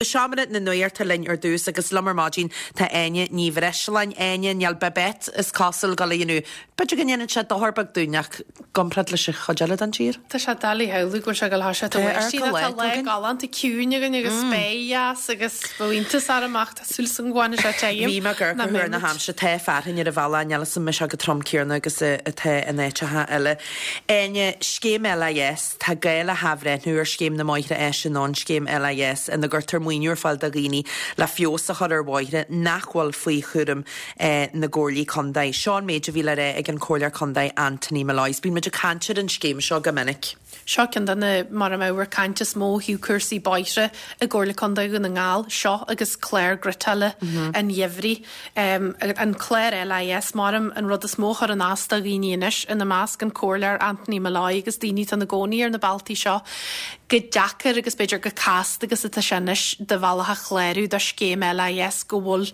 Seomra na Nuachta linn ar dtús agus liom ar maidin tá Áine Ní Bhreisleáin. Áine, níl Babette is cosúil ag dul a dhéanamh, b'fhéidir go ndéanann sé dochar beag dúinn ach i gcomparáid leis an chuid eile den tír. Tá sé doiligh a shamhlú go bhfuil sé ag dul a thoiseacht Tá ag báistí air nó tá go lá lá againn. galánta ciúin againn agus spéir dheas agus bheadh iontas orm ach tá súil 's agam go bhfanfaidh sé tirim Bhí mé ag amharc nach ar thuar na mbeidh muid. haimsire, tá fearthainn ar an bhealach, níl 'fhios a'm an mbeidh sé chomh trom céanna agus atá in áiteacha eile. Áine, Scéim LIS, Tá gá le hathbhreithniú ar Scéim na mBóithre Áise nó an Scéim LIS ina gcuirtear maoiniú ar fáil do dhaoine le feabhas a chur ar bhóithre nach bhfuil faoi chúram na gComhairlí Contae. Seo an méid a bhí le rá ag an Comhairleoir Contae Anthony Molloy. Bíonn muid ag caint ar an scéim seo go minic. Seo ceann de na, mar a ábhar cainte is mó ó thaobh cúrsaí bóithre i gComhairle Contae Dhún na nGall, seo agus clár ghriotála an gheimhridh. An clár LIS, maram, an rud is mó a chuireann as do dhaoine anois, ina measc an Comhairleoir Anthony Molloy agus daoine atá ina gcónaí ar na bealtaí seo, chomh deacair agus b'fhéidir chomh casta agus atá sé anois do bhealach a chlárú do scéim LIS, go bhfuil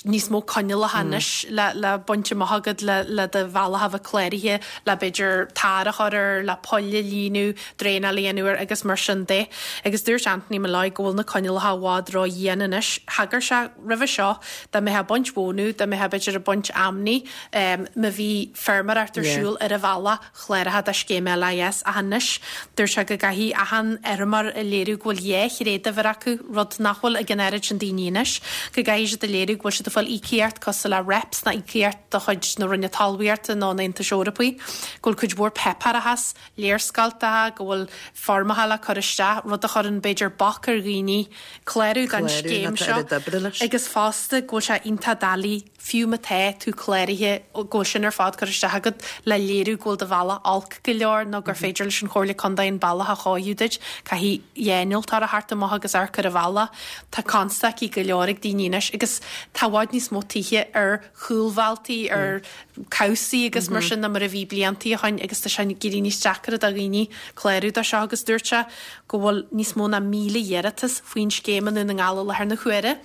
níos mó coinníollacha anois le baint amach agat le do bhealach a bheith cláraithe, le b'fhéidir tar a chur air, le poill a líonadh, draenáil a dhéanamh air agus mar sin de. Agus dúirt Anthony Molloy go bhfuil na coinníollacha i bhfad ró-dhian anois. Thagair sé roimhe seo dá mbeifeá ag baint mhónadh, dá mbeifeá b'fhéidir ag baint fheamnaí, má bhí feirmeoireacht ar siúl ar an bhealach chláraithe do scéim LIS ach anois dúirt sé go gcaithfidh achan fheirmeoir a léiriú go bhfuil dhá thréaduimhir acu, rud nach bhfuil ag an oiread sin daoine anois, go gcaithfidh siad a léiriú go bhfuil siad ag fáil íocaíocht cosúil le REPS nó íocaíocht de chuid na Roinne Talmhaíochta nó an Aontais Eorpaigh, go bhfuil cuid mhór páipéarachas, léarscáilteacha, go bhfuil foirmeacha le cur isteach, rud a chuireann b'fhéidir bac ar dhaoine clárú don Clárú scéim nó tá seo oiread oibre leis. agus fosta go bhfuil sé iontach doiligh fiú má tá tú cláraithe go bhfuil sin ar fad curtha isteach agat le léiriú go bhfuil do bhealach olc go leor nó gur féidir leis an Chomhairle Contae an bealach a chóiriú duit. Caithfidh dhá innealtóir a theacht amach agus amharc ar an bhealach. Tá constaicí go leor ag daoine anois agus tá i bhfad níos mó tithe ar chúlbhealtaí, ar cabhsaí agus mar sin ná mar a bhí bliantaí ó shoin agus tá sé ag éirí níos deacra do dhaoine clárú dó seo agus dúirt sé go bhfuil níos mó ná 1,000 iarratas faoin scéim i nDún na nGall i láthair na huaire.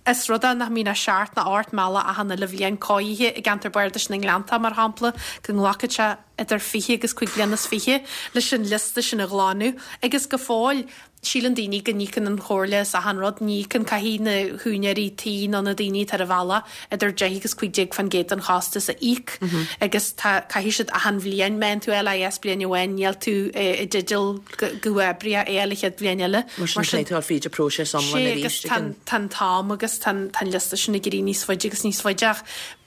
Is rud é nach mbíonn ach seacht nó ocht mbealach achan uile bhliain cóirithe i gceantar bardais na nGleanntach, mar shampla, go nglacann sé idir 20 agus 25 bliana leis an liosta sin a ghlanadh agus go fóill Síleann daoine go n-íocann an Chomhairle as achan rud. Ní íocann, caithfidh na húinéirí tí nó na daoine atá ar an bhealach idir 10 agus 15% den chostas a íoc agus tá, caithfidh siad achan bhliain, má fhaigheann tú LIS bliain amháin níl tú i dteideal go huathoibríoch é a fháil an chéad bhliain eile. Mar sin caithfidh tú dul fríd an próiseas iomlán Sé arís agus tá an, tá an t-am agus tá an, tá an liosta sin ag éirí níos faide agus níos faide ach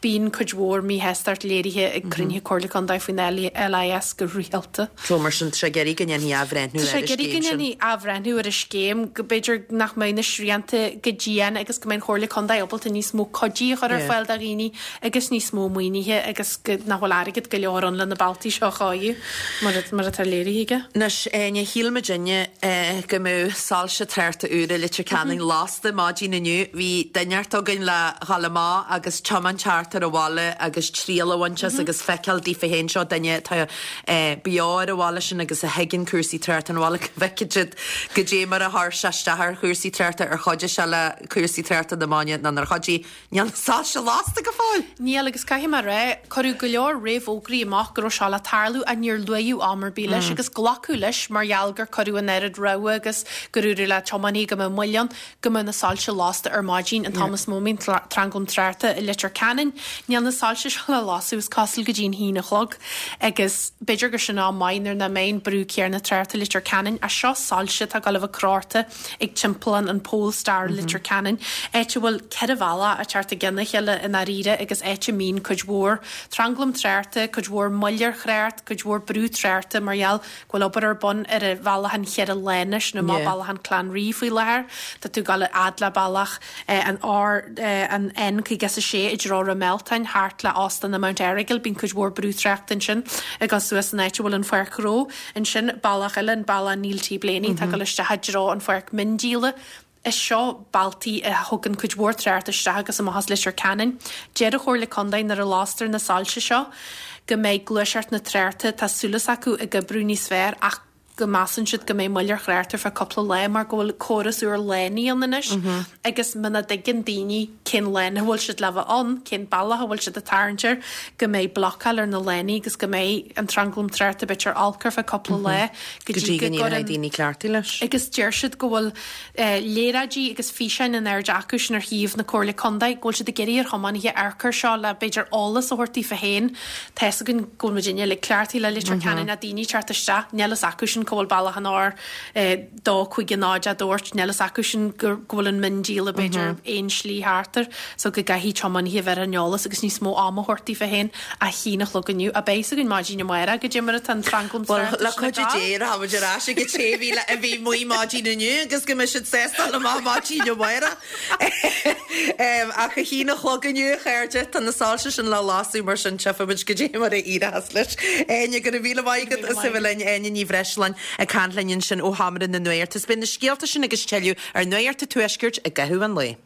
bíonn cuid mhór míshástacht léirithe ag cruinnithe Comhairle Contae faoin LIS go rialta. So mar sin, tá sé ag iarraidh go ndéanfaí athbhreithniú Tá sé ar ag an iarraidh go scéim sin. ndéanfaí athbhreithniú ar an scéim, go mb'fhéidir nach mbeidh na srianta chomh dian agus go mbeidh an Chomhairle Contae ábalta níos mó cuidí a chur ar Yeah. fáil do dhaoine agus níos mó maoinithe agus go nach bhfuil airgead go leor ann le na bealtaí seo a chóiriú mar mar atá léirithe aige. Anois, Áine, shíl muidinne go mbeadh soilse tráchta úra Leitir Ceanainn lasta maidin inniu. Bhí duine inteacht againn le dhul amach agus tiomáint thart ar an bhaile agus triail a bhaint as agus feiceáil daofa féin seo duine atá beo ar an bhaile sin agus a thuigeann cúrsaí tráchta an bhaile go bhfeicfidh siad goidé mar a chuir sé isteach ar chúrsaí tráchta ar chuidigh sé le cúrsaí tráchta na maidine nó nár chuidigh. Níl na soilse lasta go fóill! Níl, agus caithfidh mé a rá, cuireadh go leor réamhfhógraí amach go raibh seo le tarlú ach níor luadh am ar bith leis agus glacadh leis mar gheall gur cuireadh an oiread rabhadh agus gur dúradh le tiománaithe go mbeadh moill ann go mbeadh na soilse lasta ar maidin an t-am is mó a mbíonn tranglam tráchta i Leitir Ceanainn. Níl na soilse seo le lasadh is cosúil go dtí an haon a chlog agus b'fhéidir gur sin am maith nuair nach mbeidh an brú céanna tráchta i Leitir Ceanainn ach seo soilse atá ag dul a bheith crochta ag timpeallán an Polestar i Leitir Ceanainn, áit a bhfuil 4 bhealach ag teacht i gcionn a chéile i ndáiríre agus áit a mbíonn cuid mhór tranglam tráchta, cuid mhór moill ar thrácht, cuid mhór brú tráchta mar gheall go bhfuil obair ar bun ar an bhealach an cheithre lána sin amach Bealach an Clann Rí faoi láthair. Tá tú ag dul a fhad le bealach an R an N56 i dtreo Ráth Mealtain thart le Óstán na Mount Errigal. Bíonn cuid mhór brú tráchta ansin ag dul suas an áit a bhfuil an pháirc ghnó. Ansin bealach eile, an bealach Neil T Blaney, atá ag dul isteach i dtreo an pháirc miondíola. Is seo bealtaí a thugann cuid mhór tráchta isteach agus amach as Leitir Ceanainn. Deir an Chomhairle Contae nuair a lastar na soilse seo go mbeidh gluaiseacht na tráchta, tá súil acu, ag oibriú níos fearr ach. go measann siad go mbeidh moill ar thrácht ar feadh cúpla lá mar go bhfuil córas úr lánaí ann anois agus muna dtuigeann daoine cén lána a bhfuil siad le bheith ann, cén bealach a bhfuil siad ag tarraingt air, go mbeidh blocáil ar na lánaí agus go mbeidh an tranglam tráchta b'fhéidir olc ar feadh cúpla lá go dtí go gcuireann daoine cleachtaithe leis. Agus deir siad go bhfuil léaráidí agus físeáin in airde acu sin ar shuíomh na Comhairle Contae, go bhfuil siad ag iarraidh ar thiománaithe amharc air seo le b'fhéidir eolas a thabhairt daofa féin. Tá fhios againn go bhfuil muidinne uilig cleachtaithe le Leitir Ceanainn ach daoine ag teacht isteach, níl fhios acu sin cá bhfuil bealach an R2 5 0 a dúirt, níl fhios acu sin go bhfuil an miondíola b'fhéidir aon slí thart air so go gcaithfidh tiománaithe a bheith ar an eolas agus níos mó ama a thabhairt daofa féin. A haon a chlog inniu, ach beidh fhios againn maidin amárach goidé mar atá an tranglam Bhuel, le cuidiú Dé, rachaimid ar ais ag an té a bhí amuigh maidin inniu agus go mbeidh siad sásta dul amach maidin amárach. Ach a haon a chlog inniu, a chairde, tá na soilse sin le lasadh, mar sin tchífimid goidé mar a éireochas leis. Áine, go raibh míle maith agat as a bheith linn. Áine Ní Bhreisleáin ag caint linn ansin ó Sheomra na Nuachta. Is beidh na scéalta sin agus tuilleadh ar Nuacht an Tuaiscirt i gcaitheamh an lae.